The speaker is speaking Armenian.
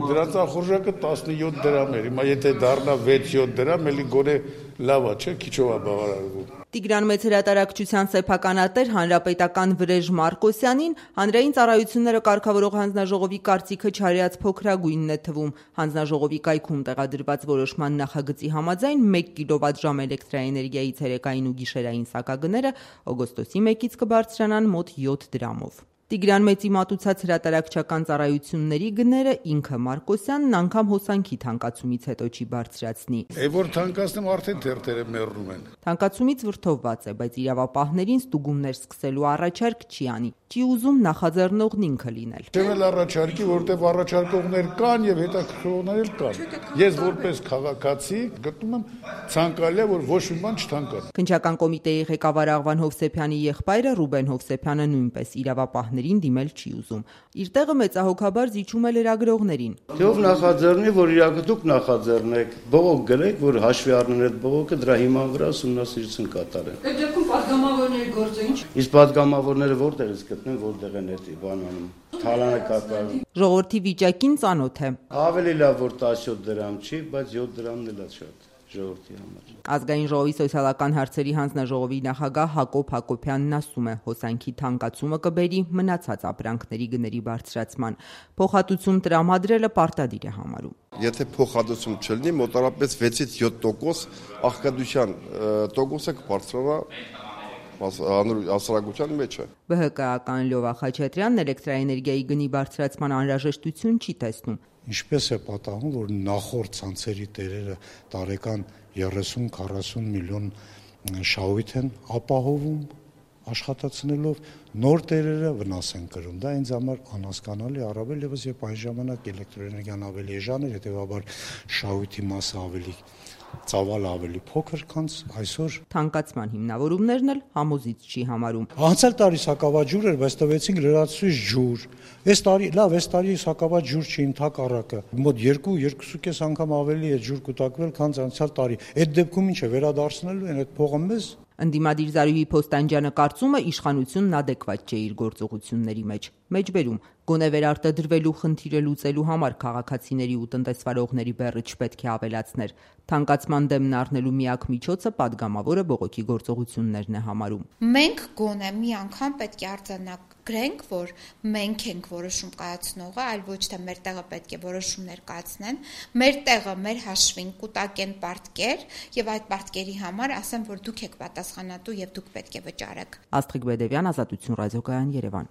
Դրանց ախորժակը 17 դրամ էր, հիմա եթե դառնա 6-7 դրամ, էլի գոնե լավ է, չէ, քիչով է բավարարվում։ Տիգրան Մեծ հրատարակչության սեփականատեր հանրապետական Վրեժ Մարկոսյանին հանրային ծառայությունները կարգավորող հանձնաժողովի կարծիքը չարյաց փոքրագույնն է թվում։ Հանձնաժողովի կայքում տեղադրված որոշման նախագծի համաձայն 1 կիլովատժամ էլեկտրաէներգիայի ցերեկային ու գիշերային սակագները օգոստոսի 1-ից կբարձրանան մոտ 7 դրամով։ Տիգրան Մեծի մատուցած հրատարակչական ծառայությունների գները ինքը Մարկոսյանն անգամ հոսանքի թանկացումից հետո չի բարձրացնի։ Որ թանկացնեմ արդեն թերթերը մեռնում են։ Թանկացումից վրդովված է, բայց իրավապահներին ստուգումներ սկսելու առաջարկ չի անի։ Չի ուզում նախաձեռնողն ինքը լինել։ Չեմ էլ առաջարկի, որտեղ առաջարկողներ կան եւ հետաքրքրողներ էլ կան։ Ես որպես քաղաքացի գտնում եմ ցանկալի է, որ ոչ մի բան չթանկացնի։ Քննչական կոմիտեի ղեկավար Աղվան Հովսեփյանի եղբայրը Ռուբեն Հովսեփյանը նույնպես իրավապահներին դիմել չի ուզում։ Իր տեղը մեծահոգաբար զիջում է լրագրողներին։ Ով նախաձեռնի, որ իրաք դուք նախաձեռնեք, բողոք գրեք, որ հաշվի առնեն այդ բողոքը, դրա հիման վրա ուսումնասիրություն կատարեն։ Այդ դեպքում падգամավորների գործը ինչ։ Իսկ падգամավորները որտեղից գտնեն, որտեղ են այդ բանանում։ Թալանը կատարում։ Ժողովրդի վիճակին ծանոթ է։ Ավելի լավ որ 17 դրամ չի, բայց 7 դրամն էլ է շատ ժողովրդի համար։ Ազգային ժողովի սոցիալական հարցերի հանձնաժողովի նախագահ Հակոբ Հակոբյանն ասում է, հոսանքի թանկացումը կբերի մնացած ապրանքների գների բարձրացման։ Փոխհատուցում տրամադրելը պարտադիր է համարում։ Եթե փոխհատուցում չլինի, մոտավորապես 6-ից 7% աղքատության տոկոսը կբարձրանա հասարակության մեջ է։ ԲՀԿ-ական Լյովա Խաչատրյանն էլեկտրաէներգիայի գնի բարձրացման անհրաժեշտություն չի տեսնում։ Ինչպես է պատահում, որ նախորդ ցանցերի տերերը տարեկան 30-40 միլիոն շահույթ են ապահովում աշխատացնելով, նոր տերերը վնաս են կրում։ Դա ինձ համար անհասկանալի, առավել ևս երբ այն ժամանակ էլեկտրոէներգիան ավելի էժան էր, հետևաբար շահույթի մասը ավելի ծավալը ավելի փոքր, քան այսօր։ Թանկացման հիմնավորումներն էլ համոզիչ չի համարում։ Անցյալ տարի սակավաջուր էր, բայց տվեցինք լրացուցիչ ջուր։ Այս տարի սակավաճ ջուր չի, ընդհակառակը։ Մոտ 2-2.5 անգամ ավելի է ջուր կուտակվել, քան անցյալ տարի։ Այդ դեպքում ինչ է, վերադարձնելու են այդ փողը մեզ։ Ընդդիմադիր Զարուհի Փոստանջյանը կարծում է իշխանությունն ադեկվատ չէ իր գործողությունների մեջ։ Մեջբերում գոնե վերարտադրվելու խնդիրը լուծելու համար քաղաքացիների ու տնտեսվարողների բեռը չպետք է ավելացներ։ Թանկացման դեմն առնելու միակ միջոցը падգամավորը բողոքի գործողություններն է համարում։ Մենք գոնե մի անգամ պետք է արձանագրենք, որ մենք ենք որոշում կայացնողը, այլ ոչ թե մեր տեղը պետք է որոշումներ կայացնեն, մեր տեղը մեր հաշվին կուտակեն պարտքեր եւ այդ պարտքերի համար ասեն, որ դուք եք պատասխանատու եւ դուք պետք է վճարեք։ Աստղիկ Բեդևյան, Ազատություն ռադիոկայան, Երևան։